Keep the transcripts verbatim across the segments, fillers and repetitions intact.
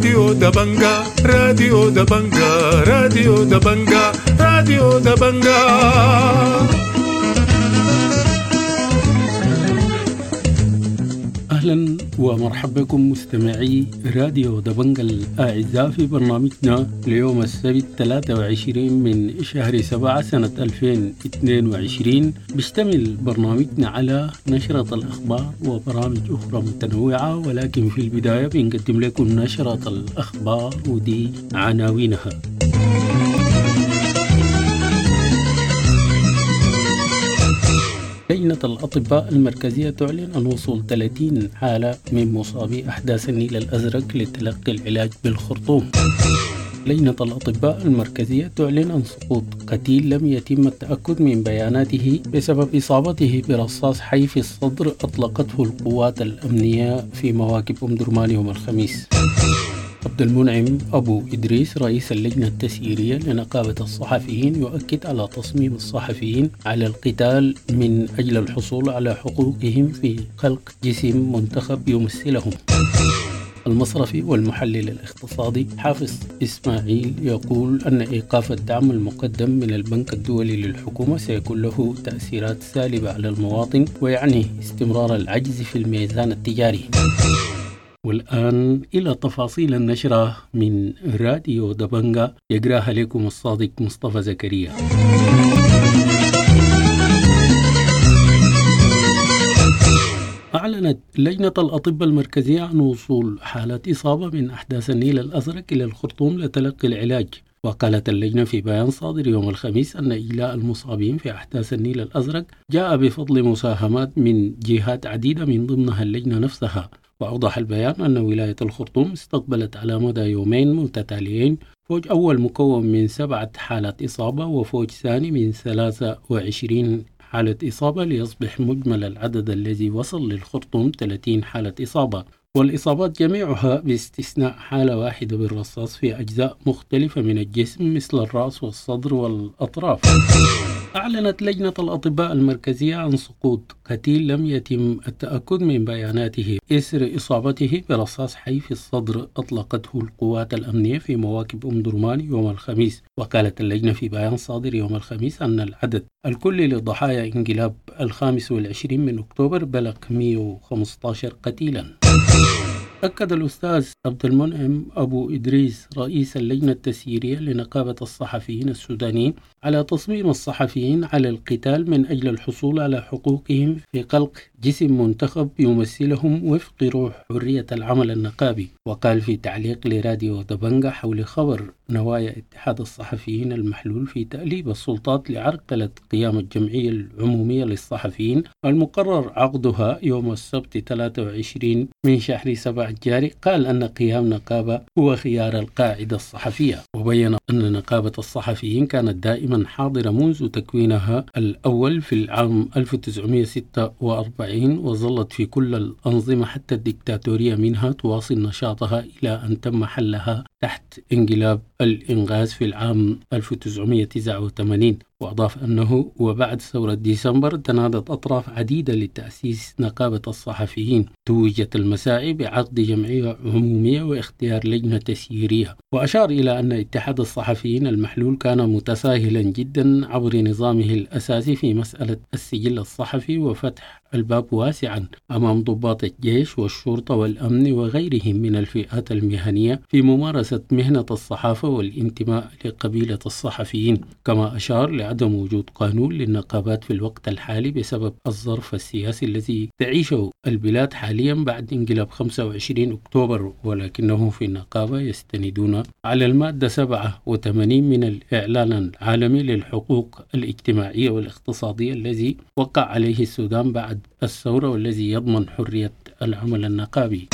راديو دبنجا، راديو دبنجا، راديو دبنجا، راديو دبنجا. أهلا ومرحبا بكم مستمعي راديو دبنجا الأعزاء في برنامجنا ليوم السبت ثلاثة وعشرين من شهر سبعة سنة ألفين واثنين وعشرين. بيشتمل برنامجنا على نشرة الأخبار وبرامج أخرى متنوعة، ولكن في البداية بنقدم لكم نشرة الأخبار ودي عناوينها. لجنة الأطباء المركزية تعلن عن وصول ثلاثين حالة من مصابي أحداث النيل الأزرق لتلقي العلاج بالخرطوم. لجنة الأطباء المركزية تعلن عن سقوط قتيل لم يتم التأكد من بياناته بسبب إصابته برصاص حي في الصدر أطلقته القوات الأمنية في مواكب أم درمان يوم الخميس. عبد المنعم أبو إدريس رئيس اللجنة التسييرية لنقابة الصحفيين يؤكد على تصميم الصحفيين على القتال من أجل الحصول على حقوقهم في خلق جسم منتخب يمثلهم. المصرفي والمحلل الاقتصادي حافظ إسماعيل يقول أن إيقاف الدعم المقدم من البنك الدولي للحكومة سيكون له تأثيرات سالبة على المواطن ويعني استمرار العجز في الميزان التجاري. والآن إلى تفاصيل النشرة من راديو دبنجا يقراها لكم الصادق مصطفى زكريا. أعلنت لجنة الأطباء المركزية عن وصول حالات إصابة من أحداث النيل الأزرق إلى الخرطوم لتلقي العلاج. وقالت اللجنة في بيان صادر يوم الخميس أن إجلاء المصابين في أحداث النيل الأزرق جاء بفضل مساهمات من جهات عديدة من ضمنها اللجنة نفسها. وأوضح البيان أن ولاية الخرطوم استقبلت على مدى يومين متتاليين فوج أول مكون من سبعة حالات إصابة وفوج ثاني من ثلاثة وعشرين حالة إصابة، ليصبح مجمل العدد الذي وصل للخرطوم ثلاثين حالة إصابة، والإصابات جميعها باستثناء حالة واحدة بالرصاص في أجزاء مختلفة من الجسم مثل الرأس والصدر والأطراف. أعلنت لجنة الأطباء المركزية عن سقوط قتيل لم يتم التأكد من بياناته إثر إصابته برصاص حي في الصدر أطلقته القوات الأمنية في مواكب أم درمان يوم الخميس. وقالت اللجنة في بيان صادر يوم الخميس أن العدد الكلي لضحايا انقلاب الخامس والعشرين من أكتوبر بلغ مئة وخمسة عشر قتيلا. أكد الأستاذ عبد المنعم أبو إدريس رئيس اللجنة التسييرية لنقابة الصحفيين السودانيين على تصميم الصحفيين على القتال من أجل الحصول على حقوقهم في خلق جسم منتخب يمثلهم وفق روح حرية العمل النقابي. وقال في تعليق لراديو دبنجا حول خبر نوايا اتحاد الصحفيين المحلول في تأليب السلطات لعرقلة قيام الجمعية العمومية للصحفيين المقرر عقدها يوم السبت ثلاثة وعشرين من شهر سبعة الجاري، قال أن قيام نقابة هو خيار القاعدة الصحفية. وبين أن نقابة الصحفيين كانت دائما حاضرة منذ تكوينها الأول في العام ألف وتسعمئة وستة وأربعين، وظلت في كل الأنظمة حتى الدكتاتورية منها تواصل نشاطها إلى أن تم حلها تحت انقلاب الإنغاز في العام ألف وتسعمئة وتسعة وثمانين. وأضاف أنه وبعد ثورة ديسمبر تنادت أطراف عديدة لتأسيس نقابة الصحفيين، توجت المساعي بعقد جمعية عمومية واختيار لجنة تسييرية. وأشار إلى أن اتحاد الصحفيين المحلول كان متساهلا جدا عبر نظامه الأساسي في مسألة السجل الصحفي وفتح الباب واسعا أمام ضباط الجيش والشرطة والأمن وغيرهم من الفئات المهنية في ممارسة مهنة الصحافة والانتماء لقبيلة الصحفيين. كما أشار لعدم وجود قانون للنقابات في الوقت الحالي بسبب الظرف السياسي الذي تعيشه البلاد حاليا بعد انقلاب خمسة وعشرين أكتوبر، ولكنه في النقابة يستندون على المادة سبعة وثمانين من الإعلان العالمي للحقوق الاجتماعية والاقتصادية الذي وقع عليه السودان بعد الثورة والذي يضمن حرية العمل النقابي.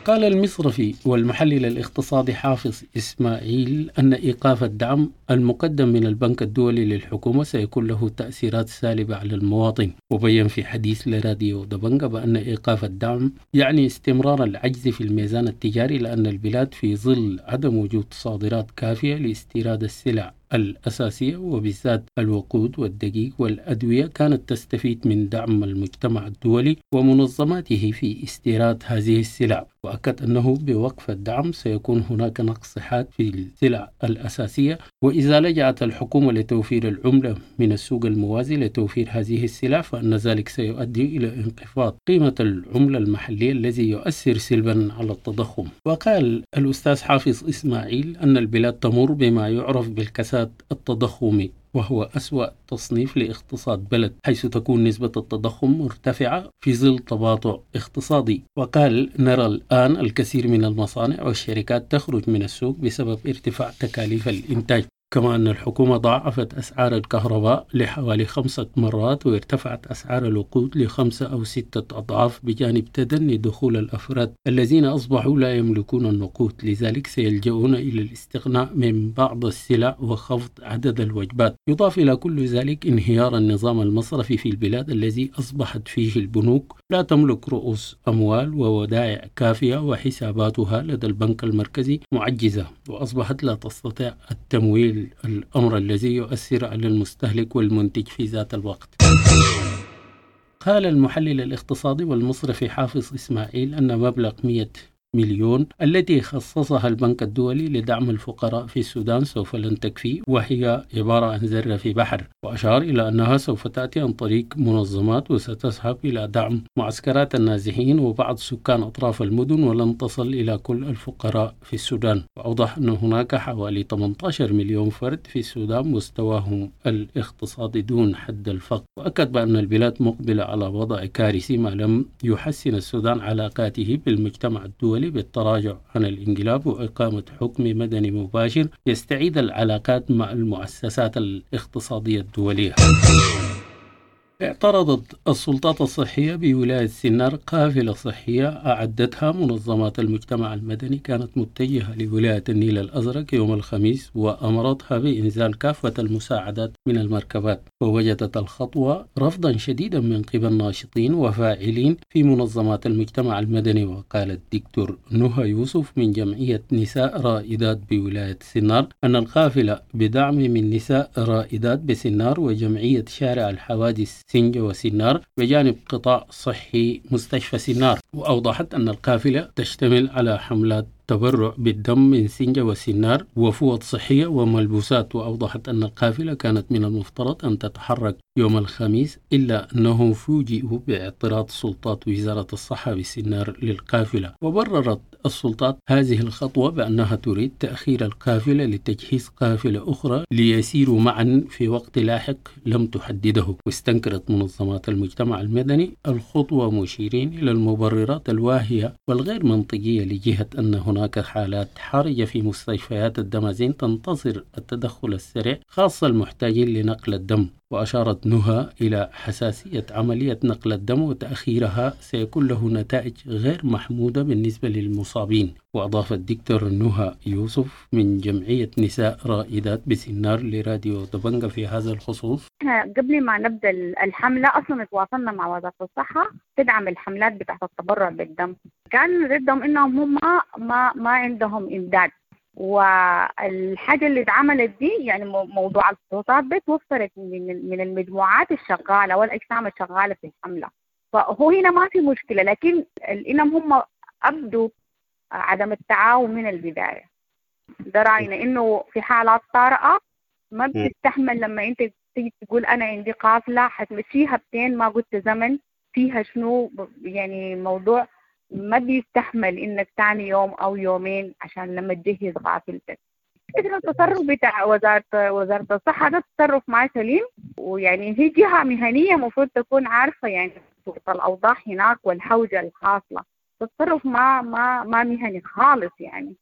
قال المصرفي والمحلل الاقتصادي حافظ إسماعيل أن إيقاف الدعم المقدم من البنك الدولي للحكومة سيكون له تأثيرات سالبة على المواطن. وبين في حديث لراديو دبنجا بأن إيقاف الدعم يعني استمرار العجز في الميزان التجاري، لأن البلاد في ظل عدم وجود صادرات كافية لاستيراد السلع الأساسية وبالذات الوقود والدقيق والأدوية كانت تستفيد من دعم المجتمع الدولي ومنظماته في استيراد هذه السلع. وأكد أنه بوقف الدعم سيكون هناك نقص حاد في السلع الأساسية، وإذا لجأت الحكومة لتوفير العملة من السوق الموازي لتوفير هذه السلع فإن ذلك سيؤدي إلى انخفاض قيمة العملة المحلية الذي يؤثر سلبا على التضخم. وقال الأستاذ حافظ إسماعيل أن البلاد تمر بما يعرف بالكساد التضخمي، وهو أسوأ تصنيف لاقتصاد بلد، حيث تكون نسبة التضخم مرتفعة في ظل تباطؤ اقتصادي. وقال نرى الآن الكثير من المصانع والشركات تخرج من السوق بسبب ارتفاع تكاليف الإنتاج، كما أن الحكومة ضاعفت أسعار الكهرباء لحوالي خمسة مرات، وارتفعت أسعار الوقود لخمسة أو ستة أضعاف، بجانب تدني دخول الأفراد الذين أصبحوا لا يملكون النقود، لذلك سيلجؤون إلى الاستغناء من بعض السلع وخفض عدد الوجبات. يضاف إلى كل ذلك انهيار النظام المصرفي في البلاد الذي أصبحت فيه البنوك لا تملك رؤوس أموال وودائع كافية، وحساباتها لدى البنك المركزي معجزة، وأصبحت لا تستطيع التمويل، الأمر الذي يؤثر على المستهلك والمنتج في ذات الوقت. قال المحلل الاقتصادي والمصرفي حافظ إسماعيل أن مبلغ مئة مليون التي خصصها البنك الدولي لدعم الفقراء في السودان سوف لن تكفي، وهي عبارة عن ذرة في بحر، وأشار إلى أنها سوف تأتي عن طريق منظمات وستذهب إلى دعم معسكرات النازحين وبعض سكان أطراف المدن، ولن تصل إلى كل الفقراء في السودان. وأوضح أن هناك حوالي ثمانية عشر مليون فرد في السودان مستواهم الاقتصادي دون حد الفقر، وأكد بأن البلاد مقبلة على وضع كارثي ما لم يحسن السودان علاقاته بالمجتمع الدولي بالتراجع عن الانقلاب وإقامة حكم مدني مباشر يستعيد العلاقات مع المؤسسات الاقتصادية الدولية. اعترضت السلطات الصحية بولاية سنار قافلة صحية أعدتها منظمات المجتمع المدني كانت متجهة لولاية النيل الأزرق يوم الخميس، وأمرتها بإنزال كافة المساعدات من المركبات، ووجدت الخطوة رفضا شديدا من قبل ناشطين وفاعلين في منظمات المجتمع المدني. وقال الدكتور نهى يوسف من جمعية نساء رائدات بولاية سنار أن القافلة بدعم من نساء رائدات بسنار وجمعية شارع الحوادث سنجة وسنار بجانب قطاع صحي مستشفى سنار. وأوضحت أن القافلة تشتمل على حملات تبرع بالدم من سنجة وسنار وفوط صحية وملبوسات. وأوضحت أن القافلة كانت من المفترض أن تتحرك يوم الخميس، إلا أنهم فوجئوا باعتراض سلطات وزارة الصحة بسنار للقافلة. وبررت السلطات هذه الخطوة بأنها تريد تأخير القافلة لتجهيز قافلة أخرى ليسيروا معا في وقت لاحق لم تحدده. واستنكرت منظمات المجتمع المدني الخطوة، مشيرين إلى المبررات الواهية والغير منطقية لجهة أن هناك حالات حرجة في مستشفيات الدمازين تنتظر التدخل السريع، خاصة المحتاجين لنقل الدم. وأشارت نهى إلى حساسية عملية نقل الدم وتأخيرها سيكون له نتائج غير محمودة بالنسبة للمصابين. وأضاف الدكتور نهى يوسف من جمعية نساء رائدات بسنار لراديو دبنجة في هذا الخصوص: احنا قبل ما نبدأ الحملة أصلا تواصلنا مع وزارة الصحة تدعم الحملات بتاعت التبرع بالدم. كان ردهم إنهم هم ما ما عندهم إمداد، والحاجة اللي اتعملت دي يعني موضوع الفحوصات دي توفرت من من المجموعات الشغالة والأجسام الشغالة في الحملة، فهو هنا ما في مشكلة. لكن إنهم هم أبدوا عدم التعاون من البداية. ده رأينا إنه في حالات طارئة ما بتستحمل لما أنت تيجي تقول أنا عندي قافلة حتمشيها بتين، ما قلت زمن فيها شنو، يعني موضوع ما بيستحمل إنك تاني يوم أو يومين عشان لما تجهز قافلتك. فكرة التصرف بتاع وزارة وزارة الصحة ده تصرف ما سليم، ويعني هي جهة مهنية مفروض تكون عارفة يعني الأوضاع هناك والحوجة الحاصلة. التصرف ما ما ما مهني خالص يعني.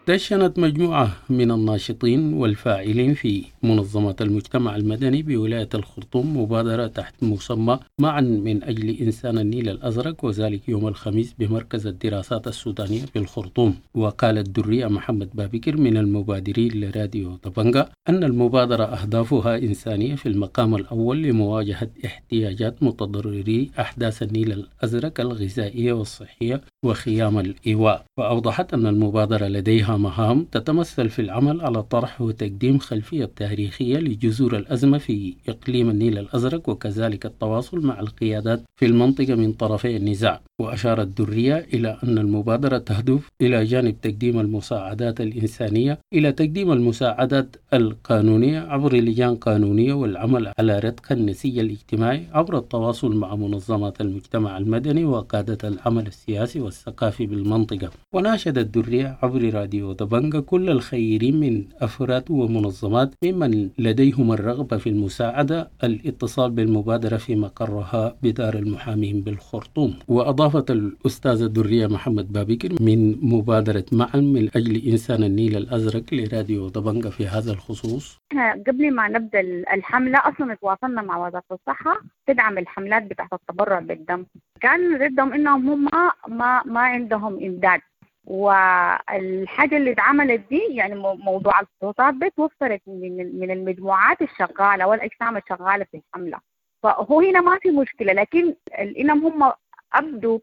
دشنت مجموعة من الناشطين والفاعلين في منظمات المجتمع المدني بولاية الخرطوم مبادرة تحت مسمى معا من أجل إنسان النيل الأزرق، وذلك يوم الخميس بمركز الدراسات السودانية بالخرطوم. وقال الدرية محمد بابكر من المبادرين لراديو طبنجة أن المبادرة أهدافها إنسانية في المقام الأول لمواجهة احتياجات متضرري أحداث النيل الأزرق الغذائية والصحية وخيام الإيواء. وأوضحت أن المبادرة لديها مهام تتمثل في العمل على طرح وتقديم خلفية تاريخية لجذور الأزمة في إقليم النيل الأزرق، وكذلك التواصل مع القيادات في المنطقة من طرفي النزاع. وأشارت درية إلى أن المبادرة تهدف إلى جانب تقديم المساعدات الإنسانية إلى تقديم المساعدات القانونية عبر لجان قانونية، والعمل على رتق النسيج الاجتماعي عبر التواصل مع منظمات المجتمع المدني وقادة العمل السياسي والثقافي بالمنطقة. وناشدت درية عبر راديو دبنجة كل الخيرين من أفراد ومنظمات ممن لديهم الرغبة في المساعدة الاتصال بالمبادرة في مقرها بدار المحامين بالخرطوم. وأضافت الأستاذة درية محمد بابكر من مبادرة معا من أجل إنسان النيل الأزرق لراديو دبنجة في هذا الخصوص: احنا قبل ما نبدأ الحملة أصلا تواصلنا مع وزارة الصحة تدعم الحملات بتاعت التبرع بالدم. كان ردهم إنهم هم ما ما عندهم إمداد، والحاجة اللي اتعملت دي يعني موضوع الفحوصات دي توفرت من من المجموعات الشغالة والأجسام الشغالة في الحملة، فهو هنا ما في مشكلة. لكن إنهم هم أبدوا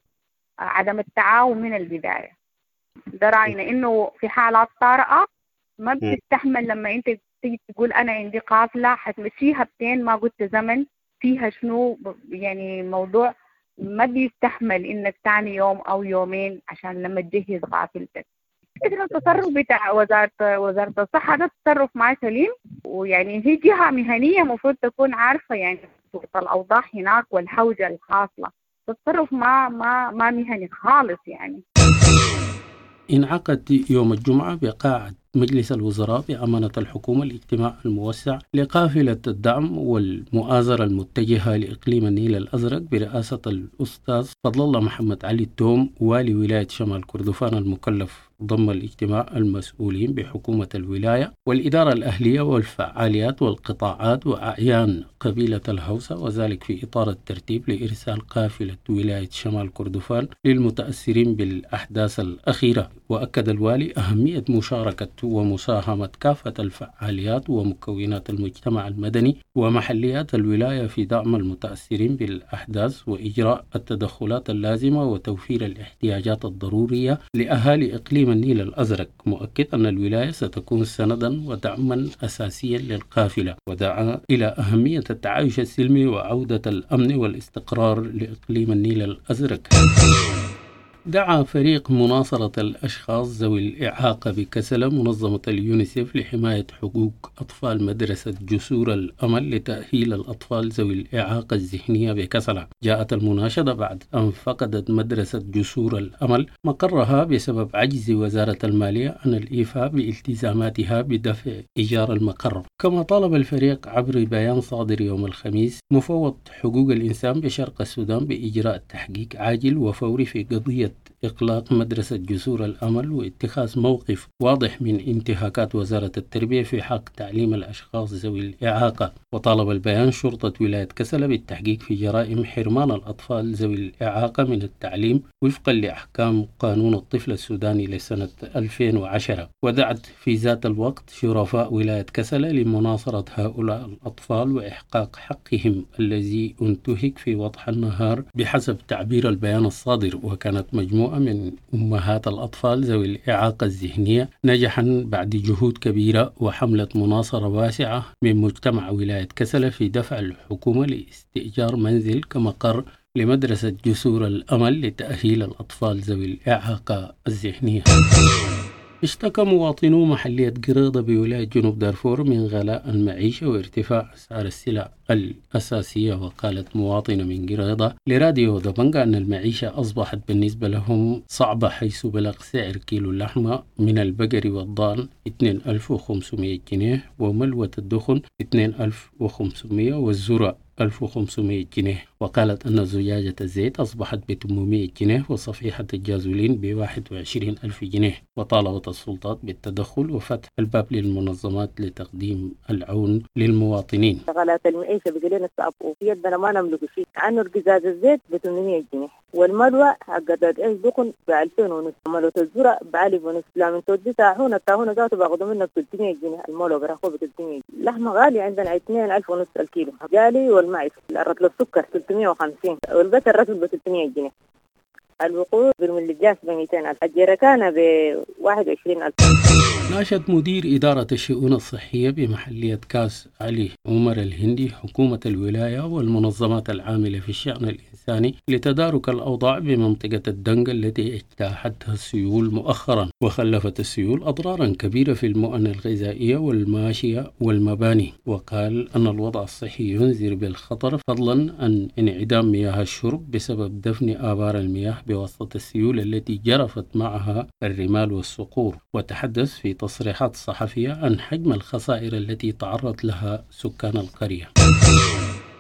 عدم التعاون من البداية. ده رأينا إنه في حالات طارئة ما بتستحمل لما أنت تيجي تقول أنا عندي قافلة حتمشيها بتين ما قلت زمن فيها شنو، يعني موضوع ما بيستحمل إنك تاني يوم أو يومين عشان لما تجهز قافلتك. إذن التصرف بتاع وزارة وزارة الصحة ده تصرف ما سليم، ويعني هي جهة مهنية مفروض تكون عارفة يعني الأوضاع هناك والحوجة الحاصلة. التصرف ما ما ما مهني خالص يعني. انعقد يوم الجمعة بقاعة مجلس الوزراء بأمانة الحكومة الاجتماع الموسع لقافلة الدعم والمؤازرة المتجهة لإقليم النيل الأزرق برئاسة الأستاذ فضل الله محمد علي التوم والي ولاية شمال كردفان المكلف. ضم الاجتماع المسؤولين بحكومة الولاية والإدارة الأهلية والفعاليات والقطاعات وأعيان قبيلة الهوسة، وذلك في إطار الترتيب لإرسال قافلة ولاية شمال كردفان للمتأثرين بالأحداث الأخيرة. وأكد الوالي أهمية مشاركة ومساهمة كافة الفعاليات ومكونات المجتمع المدني ومحليات الولاية في دعم المتأثرين بالأحداث وإجراء التدخلات اللازمة وتوفير الاحتياجات الضرورية لأهالي إقليم النيل الأزرق، مؤكد أن الولاية ستكون سندا ودعما أساسيا للقافلة. ودعا إلى أهمية التعايش السلمي وعودة الأمن والاستقرار لإقليم النيل الأزرق. دعا فريق مناصرة الأشخاص ذوي الإعاقة بكسلة منظمة اليونيسف لحماية حقوق أطفال مدرسة جسور الأمل لتأهيل الأطفال ذوي الإعاقة الذهنية بكسلة. جاءت المناشدة بعد أن فقدت مدرسة جسور الأمل مقرها بسبب عجز وزارة المالية عن الإيفاء بالتزاماتها بدفع إيجار المقر. كما طالب الفريق عبر بيان صادر يوم الخميس مفوض حقوق الإنسان بشرق السودان بإجراء تحقيق عاجل وفوري في قضية إغلاق مدرسة جسور الأمل واتخاذ موقف واضح من انتهاكات وزارة التربية في حق تعليم الأشخاص ذوي الإعاقة. وطالب البيان شرطة ولاية كسلة بالتحقيق في جرائم حرمان الأطفال ذوي الإعاقة من التعليم وفقا لأحكام قانون الطفل السوداني لسنة ألفين وعشرة. ودعت في ذات الوقت شرفاء ولاية كسلة لمناصرة هؤلاء الأطفال وإحقاق حقهم الذي انتهك في وضح النهار بحسب تعبير البيان الصادر. وكانت مجموعة من أمهات الأطفال ذوي الإعاقة الذهنية نجحا بعد جهود كبيرة وحملة مناصرة واسعة من مجتمع ولاية كسلة في دفع الحكومة لاستئجار منزل كمقر لمدرسة جسور الأمل لتأهيل الأطفال ذوي الإعاقة الذهنية. اشتكى مواطنو محلية قريضة بولاية جنوب دارفور من غلاء المعيشة وارتفاع أسعار السلع الأساسية. وقالت مواطنة من قريضة لراديو دبنجة أن المعيشة أصبحت بالنسبة لهم صعبة، حيث بلغ سعر كيلو اللحمة من البقر والضان اثنين ألف وخمسمائة جنيه، وملوة الدخن اثنين ألف وخمسمائة، والذرة ألف وخمسمائة جنيه. وقالت أن زجاجة الزيت أصبحت ب ثمانمائة جنيه وصفيحة الجازولين ب واحد وعشرين ألف جنيه. وطالبت السلطات بالتدخل وفتح الباب للمنظمات لتقديم العون للمواطنين. غلاء المعيشة بقى لنا صعب وفي يدنا ما نملك شيء. عنه القزاز الزيت ب ثمانمائة جنيه، والملوى حق الدخن ب ألفين ونص، ملوى الذرة ب ألف ونص. لا من تودي تاهونة التاهونة ذاته باخذوا منك ثلاثمائة جنيه، الملوى براخوه ب ثلاثمائة. اللحمة غالية عندنا اثنين ألف ونص الكيلو غالي. والمعز الرطل السكر ثلاثمائة وخمسين، والبتر الرطل ب ثلاثمائة جنيه. الوقود برميل الجاز ب مئتين ألف، الجركانة ب واحد وعشرين ألف. ناشد مدير إدارة الشؤون الصحية بمحلية كاس علي عمر الهندي حكومة الولاية والمنظمات العاملة في الشأن الإنساني لتدارك الأوضاع بمنطقة الدنق التي اجتاحتها السيول مؤخرا، وخلفت السيول أضرارا كبيرة في المؤن الغذائية والماشية والمباني. وقال أن الوضع الصحي ينذر بالخطر، فضلا عن انعدام مياه الشرب بسبب دفن آبار المياه بواسطة السيول التي جرفت معها الرمال والصخور. وتحدث في تصريحات صحفية عن حجم الخسائر التي تعرض لها سكان القرية.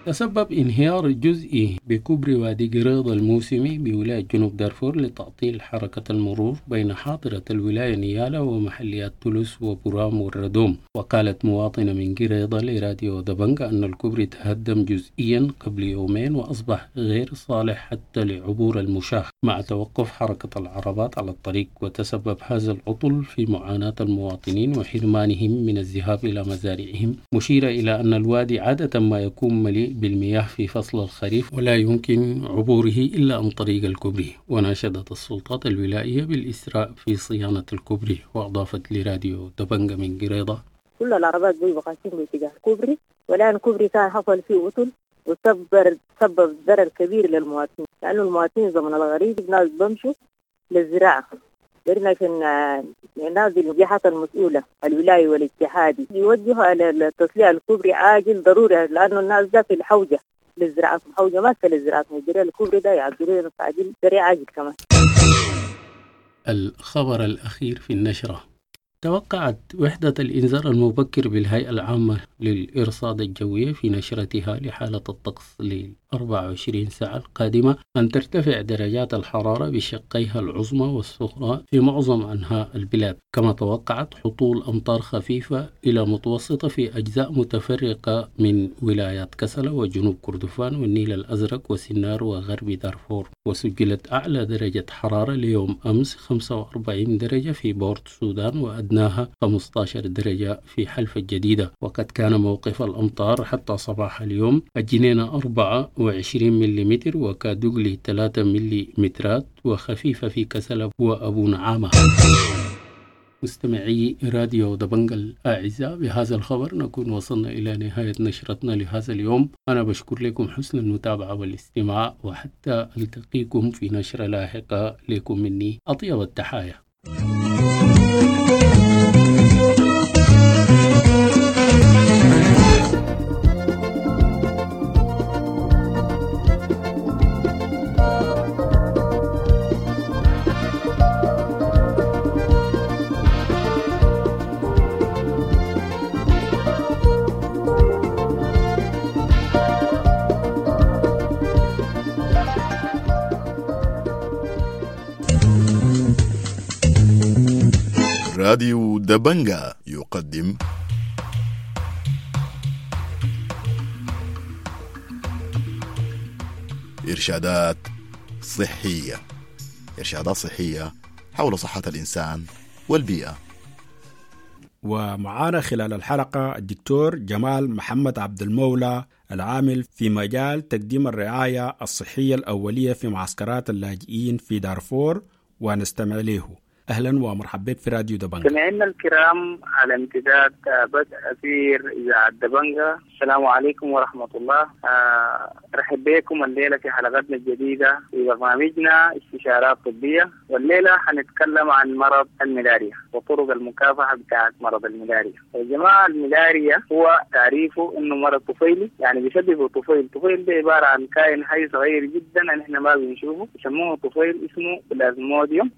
تسبب انهيار جزئي بكوبري وادي قريض الموسمي بولاية جنوب دارفور لتعطيل حركة المرور بين حاضرة الولاية نيالا ومحليات تولوس وبرام والردوم. وقالت مواطنة من قريضة لراديو دبنجا أن الكوبري تهدم جزئيا قبل يومين وأصبح غير صالح حتى لعبور المشاة مع توقف حركة العربات على الطريق. وتسبب هذا العطل في معاناة المواطنين وحرمانهم من الذهاب إلى مزارعهم، مشيرة إلى أن الوادي عادة ما يكون مليء بالمياه في فصل الخريف ولا يمكن عبوره إلا عن طريق الكوبري. وناشدت السلطات الولائية بالإسراء في صيانة الكوبري. وأضافت لراديو دبنجا من قريضة: كل العربات بيبقى باتجاه الكوبري، والآن الكوبري كان حصل فيه عطل وسبب سبب ضرر كبير للمواطنين، لأنه المواطنين زمن الغريب ناس بمشوا للزراعة. درنا عشان ننادي الجهات المسؤولة الولاية والاتحادي يوجهوا على التصليح الكوبري عاجل ضروري، لأنه الناس ده في الحوجة للزراعة، الحوجة ماسكة للزراعة، الكوبري ده يعدلوا عاجل سريع عاجل كمان. الخبر الأخير في النشرة: توقعت وحدة الإنذار المبكر بالهيئة العامة للإرصاد الجوية في نشرتها لحالة الطقس ل أربعة وعشرين ساعة القادمة أن ترتفع درجات الحرارة بشقيها العظمى والصغرى في معظم أنحاء البلاد، كما توقعت هطول أمطار خفيفة إلى متوسطة في أجزاء متفرقة من ولايات كسلا وجنوب كردفان والنيل الأزرق وسنار وغرب دارفور. وسجلت أعلى درجة حرارة ليوم أمس خمسة وأربعين درجة في بورت السودان وأدناها خمسة عشر درجة في حلفة الجديدة. وقد كان موقف الأمطار حتى صباح اليوم الجنينة أربعة وعشرين مليمتر وكادوغلي ثلاثة مليمترات وخفيفة في كسلا وأبو نعامة. مستمعي راديو دبنجا الأعزاء، بهذا الخبر نكون وصلنا إلى نهاية نشرتنا لهذا اليوم. أنا بشكر لكم حسن المتابعة والاستماع، وحتى ألتقيكم في نشرة لاحقة. لكم مني أطيب التحايا. راديو دبنجا يقدم إرشادات صحية. إرشادات صحية حول صحة الإنسان والبيئة. ومعانا خلال الحلقة الدكتور جمال محمد عبد المولى العامل في مجال تقديم الرعاية الصحية الأولية في معسكرات اللاجئين في دارفور، ونستمع له. أهلا ومرحبا بك في راديو دبنجا. سمعنا الكرام على امتداد بدء أثير إذاعة دبنجا، السلام عليكم ورحمة الله. أرحب بكم الليلة في حلقتنا الجديدة في برنامجنا استشارات طبية، والليلة حنتكلم عن مرض الملاريا وطرق المكافحة بتاعة مرض الملاريا. يا جماعة، الملاريا هو تعريفه إنه مرض طفيلي، يعني بيسببه طفيل. طفيل ده عبارة عن كائن حي صغير جدا نحن ما بنشوفه، يسموه طفيل، اسمه بلازموديوم.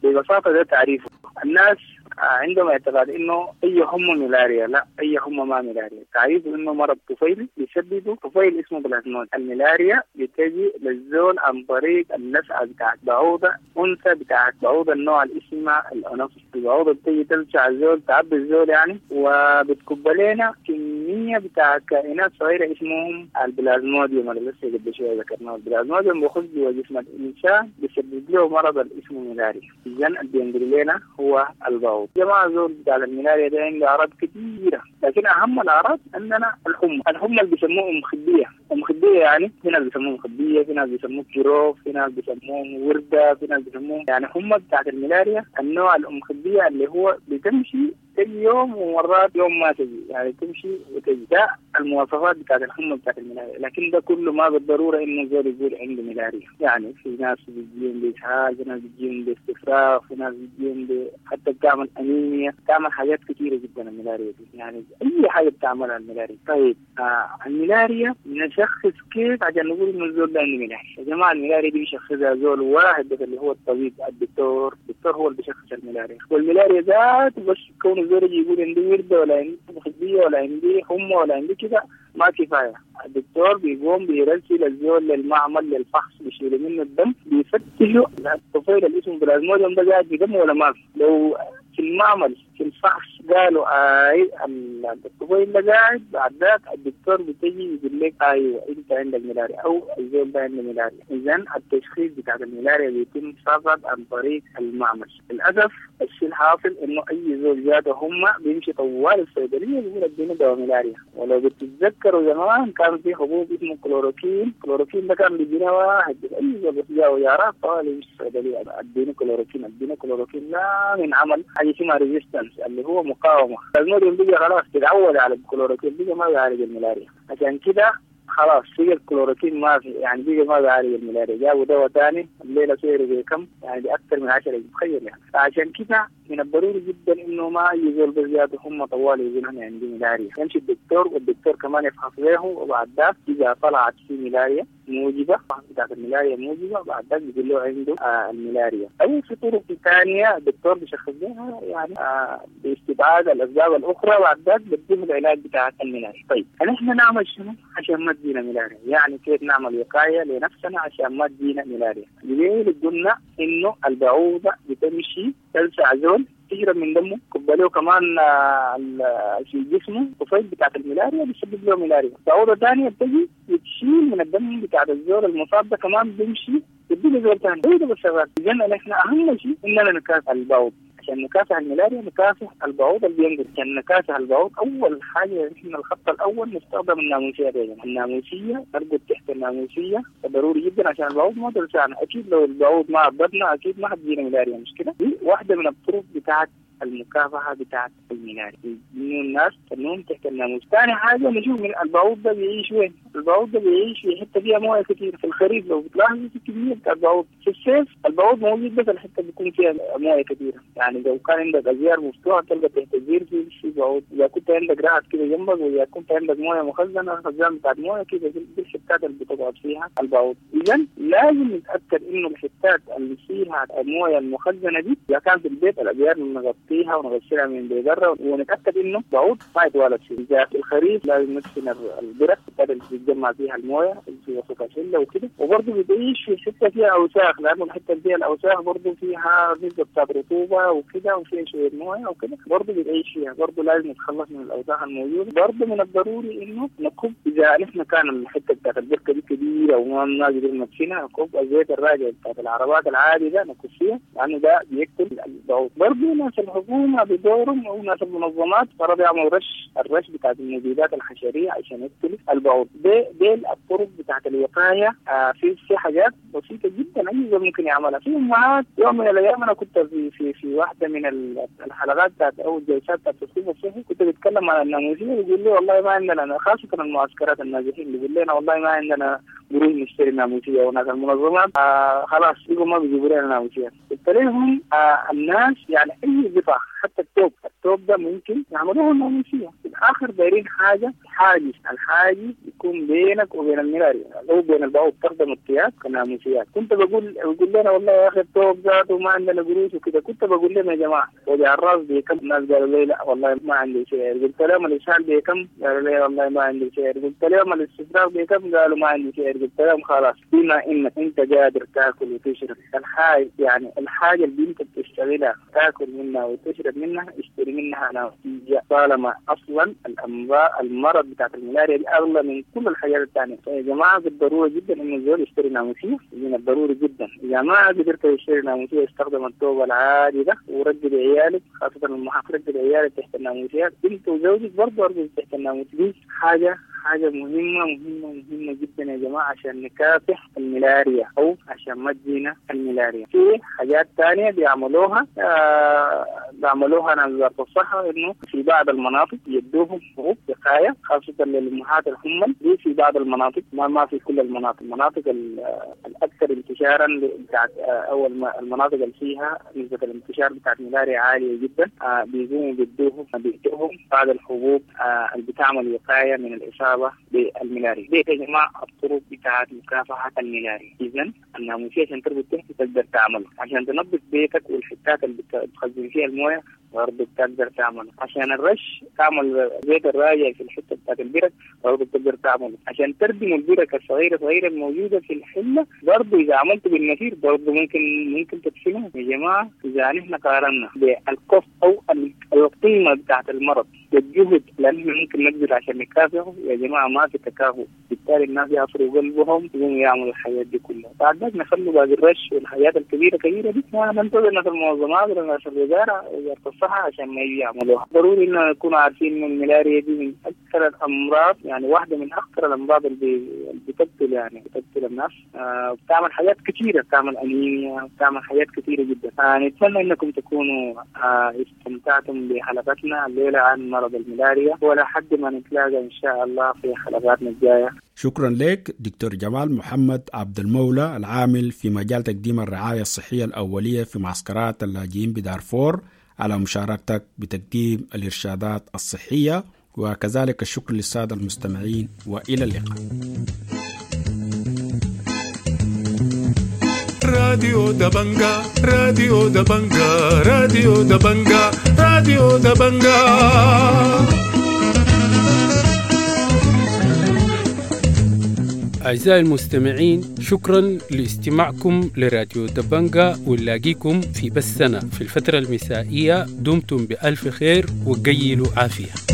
ببساطة ده تعريفه. الناس عندهم اعتقاد انه اي حمى ملاريا، لا، اي حمى ما ملاريا. تعريفه انه مرض طفيلي بيسببه طفيل اسمه بلازمود. الملاريا بتجي للزول عن طريق اللسعه بتاعت بعوضه انثى بتاعت بعوضه النوع اللي اسمها الانوفيس. البعوضه بتيجي تلسع الزول، تعبي الزول يعني، وبتكب لنا كميه كمية بتاع كائنات صغيرة اسمهم البلازموديوم اللي لسه قبل شوية ذكرناه. البلازموديوم بيخش جوا جسم الإنسان بيسبب له مرض اللي اسمه ملاريا. إذا اللي بينقل لنا هو البعوض. جماعة زول بتاع الملاريا ده عنده أعراض كثيرة، لكن أهم الأعراض عندنا الحمى. الحمى اللي بيسموه أم خدية. أم خدية يعني في ناس بيسموه خدية، في ناس بيسموه كيروف، في ناس بيسموه وردة، في ناس بيسموه يعني حمى بتاعت الملاريا النوع الأم خدية اللي هو بتمشي تجي يوم ومرات يوم ما تجي، يعني تمشي وتجي. ده المواصفات بتاعت الحمى بتاعت الملاريا، لكن ده كله ما بالضرورة انه زول يقول عنده ملاريا. يعني في ناس بتجيهم بإسهال، في ناس بتجيهم باستفراغ، في ناس بتجيهم ب... حتى بتعمل انيميا، بتعمل حاجات كثيرة جدا الملاريا دي، يعني اي حاجة بتعملها الملاريا. طيب آه الملاريا نشخص كيف عشان نقول انه الزول ده عنده ملاريا؟ يا جماعة الملاريا دي بيشخصها زول واحد بس اللي هو الطبيب الدكتور، الدكتور هو اللي بيشخص الملاريا. والملاريا ذات بس كون الزول يقول عندي وردة ولا عندي خدية ولا عندي حمى ولا عندي كده ما كفاية. الدكتور بيقوم بيرسل الزول للمعمل للفحص، بيشيلوا منه الدم، بيفتشوا الطفيل اللي اسمه بلازموديوم ده قاعد في دمه ولا ما في. لو في المعمل في الفحص قالوا اي الطفيل ده قاعد، بعد ذاك الدكتور بتجي يقول لك ايوه انت عندك ملاريا او الزول ده عنده ملاريا. اذا التشخيص بتاع الملاريا بيتم فقط عن طريق المعمل. للاسف الشيء الحاصل انه اي زول جاته هم بيمشي طوال الصيدلية بيقول اديني دواء ملاريا. ولو بتتذكروا زمان كان في حبوب اسمه كلوروكين، كلوروكين ده كان بيجينا واحد اي زول بس جاء ويارات طوال يمشي الصيدلية اديني كلوروكين اديني كلوروكين، لا من عمل حاجة اسمها resistance اللي هو مقاومة. الموديل بيجي خلاص تتعود على الكلوروكين، بيجي ما بيعالج الملاريا. عشان كده خلاص بيجي الكلوروكين ما في، يعني بيجي ما بيعالج الملاريا. جابوا دواء ثاني الليلة سعره بكم؟ يعني باكثر من عشرة، تخيل يعني. فعشان كده من الضروري جدا انه ما اي زول بزيادة هم طوال يقولوا انا عندي ملاريا، يمشي الدكتور والدكتور كمان يفحص له، وبعد ذاك اذا طلعت في ملاريا موجبه بتاعت الملاريا موجبه بعد ذاك بيقول له عنده آه الملاريا. او في طرق ثانية الدكتور بيشخص لها يعني آه باستبعاد الاسباب الاخرى، بعد ذاك بيديه العلاج بتاع الملاريا. طيب نحن نعمل شنو عشان ما تجينا ملاريا؟ يعني كيف نعمل وقاية لنفسنا عشان ما تجينا ملاريا؟ ليه قلنا انه البعوضة بتمشي تلسع زول تشرب من دمه، كباليه كمان في جسمه طفيل بتاعت الملاريا بيسبب له ملاريا. بعوضة ثانية بتجي بتشيل من الدم بتاعت الزول المصاب ده كمان بيمشي بيدي زول ثاني. ده بس شغال. اذا نحن اهم شيء اننا نكافح البعوض. عشان نكافح الملاريا نكافح البعوض اللي بينقل. عشان نكافح البعوض اول حاجة نحن الخط الاول نستخدم الناموسيه. دايما الناموسيه نرقد تحت الناموسيه، ضروري جدا عشان البعوض ما تلسعنا. اكيد لو البعوض ما عضتنا اكيد ما حتجينا ملاريا، مش كده؟ دي واحدة من الطرق بتاعت المكافحه بتاعت الملاريا، انه الناس تنوم تحت الناموس. ثاني حاجة نشوف من البعوض ده بيعيش وين؟ البعوض ده بيعيش في حتة فيها مويه كثير. في الخريف لو بتلاحظوا في كمية بتاع البعوض، في الصيف البعوض موجود بس الحتة بيكون فيها مويه كثيرة. يعني لو كان عندك ازيار مفتوحة تلقى تحت الزير في في بعوض، اذا كنت عندك رعد كده جنبك، واذا كنت عندك مويه مخزنة الخزان بتاعت مويه كده دي الحتات اللي بتقعد فيها البعوض. اذا لازم نتاكد انه الحتات اللي فيها المويه المخزنه دي اذا كان في البيت الازيار نغطيها ونغسلها من بره، ونتاكد انه بعوض ما يتوالد فيه. اذا في الخريف لازم ندفن البرك اللي بيتجمع فيها المويه في وسط الحلة وكده. وبرضه بتعيش في حتة فيها اوساخ، لانه الحتة اللي فيها الاوساخ برضه فيها نسبه بتاعت رطوبة وكده وفيها شوية مويه وكده، برضه بتعيش فيها. برضه لازم نتخلص من الاوساخ الموجودة. برضه من الضروري انه نكب اذا نحن كان الحتة بتاعت البركة دي كبيرة وما قدرنا ندفنها، نكب الزيت الراجع بتاعت العربات العادي ده نكب فيها، لانه ده بيقتل البعوض. برضه ناس الحكومة بدورهم او ناس المنظمات فرض يعملوا رش، الرش بتاعت المبيدات الحشريه عشان يقتل البعوض. دي دي الطرق بتاعت الوقاية. آه في في حاجات بسيطة جدا اي زول ممكن يعملها. في امهات يوم من الايام انا كنت في في في واحدة من الحلقات بتاعت او الجلسات بتاعت التثقيف الصحي كنت بتكلم عن الناموسيه، بيقول لي والله ما عندنا، خاصة المعسكرات النازحين بيقول لنا والله ما عندنا قروش نشتري ناموسيه، وناس المنظمات آه خلاص بيقوا ما بيجيبوا لنا ناموسيه. قلت لهم آه الناس يعني اي قطع حتى التوب، التوب ده ممكن يعملوه الناموسيه. في الاخر دايرين حاجة حاجز، الحاجز يكون بينك وبين الملاريا او بين البعوض، تخدم الثياب كناموسيات. كنت بقول بقول لنا والله يا اخي التوب ذاته ما عندنا قروش وكده. كنت بقول لهم يا جماعة وجع الراس بكم؟ الناس قالوا لي لا والله ما عندي شيء. قلت لهم الاسهال بكم؟ قالوا لي والله ما عندي شيء. قلت لهم الاستفراغ بكم؟ قالوا ما عندي شيء. قلت لهم خلاص بما انك انت قادر تاكل وتشرب الحاجة، يعني الحاجة اللي انت بتشتغلها تاكل منها وتشرب منها اشتري منها ناموسيه، طالما اصلا الاقل الامراض المرض بتاعت الملاريا دي اغلى من كل الحاجات الثانية. فيا جماعة بالضرورة جدا انه الزول يشتري ناموسيه، من الضروري جدا. اذا ما قدرت تشتري ناموسيه استخدم الثوب العادي ده ورجل عيالك، خاصة المحافظ رجل عيالك تحت الناموسيات، انت وزوجك برضه ارجل تحت الناموسيه. دي حاجة حاجة مهمة مهمة مهمة جدا يا جماعة عشان نكافح الملاريا أو عشان ما تجينا الملاريا. في حاجات تانية بيعملوها آه بيعملوها ناس وزارة الصحة، إنه في بعض المناطق يدوهم حبوب وقاية خاصة للأمهات الحمل دي في بعض المناطق، ما ما في كل المناطق، المناطق الأكثر انتشارا بتاعت أو المناطق اللي فيها نسبة الانتشار بتاعت الملاريا عالية جدا، آه بيقوموا بيدوهم بيدوهم بعض الحبوب آه اللي بتعمل وقاية من الإصابة بالملاريا. دي يا جماعة الطرق بتاعت مكافحة الملاريا. إذا الناموسية عشان تربط تحت تقدر تعمله، عشان تنظف بيتك والحتات اللي بتخزن فيها الموية برضه بتقدر تعمله، عشان الرش تعمل زيت الراجع في الحتة بتاعت البرك برضه بتقدر تعمله، عشان تردم البرك الصغيرة صغيرة الموجودة في الحلة برضه إذا عملته بالنفير برضه ممكن ممكن تدفنه. يا جماعة إذا نحن قارنا بالكوست أو القيمة بتاعت المرض والجهد لأنه ممكن نبذل عشان نكافحه، يا جماعة ما في تكافؤ، بالتالي الناس يعصروا قلبهم يقوموا يعملوا الحاجات دي كلها. بعد ذلك نخلوا باقي الرش والحاجات الكبيرة كبيرة دي ننتظر ناس المنظمات ولا ناس الوزارة وزارة الصحة عشان ما يجي يعملوها. ضروري إنه نكون عارفين إنه الملاريا دي من أكثر الأمراض، يعني واحدة من أخطر الأمراض اللي بتقتل يعني بتقتل الناس، آه بتعمل حاجات كثيرة، بتعمل أنيميا، بتعمل حاجات كثيرة جدا. آه نتمنى إنكم تكونوا آه استمتعتم بحلقتنا الليلة عن مرض الملاريا، ولا حد ما نتلاقى إن شاء الله في حلقاتنا الجاية. شكرا لك دكتور جمال محمد عبد المولى العامل في مجال تقديم الرعاية الصحية الأولية في معسكرات اللاجئين بدارفور على مشاركتك بتقديم الإرشادات الصحية، وكذلك الشكر للسادة المستمعين، وإلى اللقاء. راديو دبنجا، راديو دبنجا، راديو دبنجا، راديو دبنجا. أعزائي المستمعين، شكرا لاستماعكم لراديو دبنجا، ونلاقيكم في بثنا في الفترة المسائية. دمتم بألف خير وقيلوا عافية.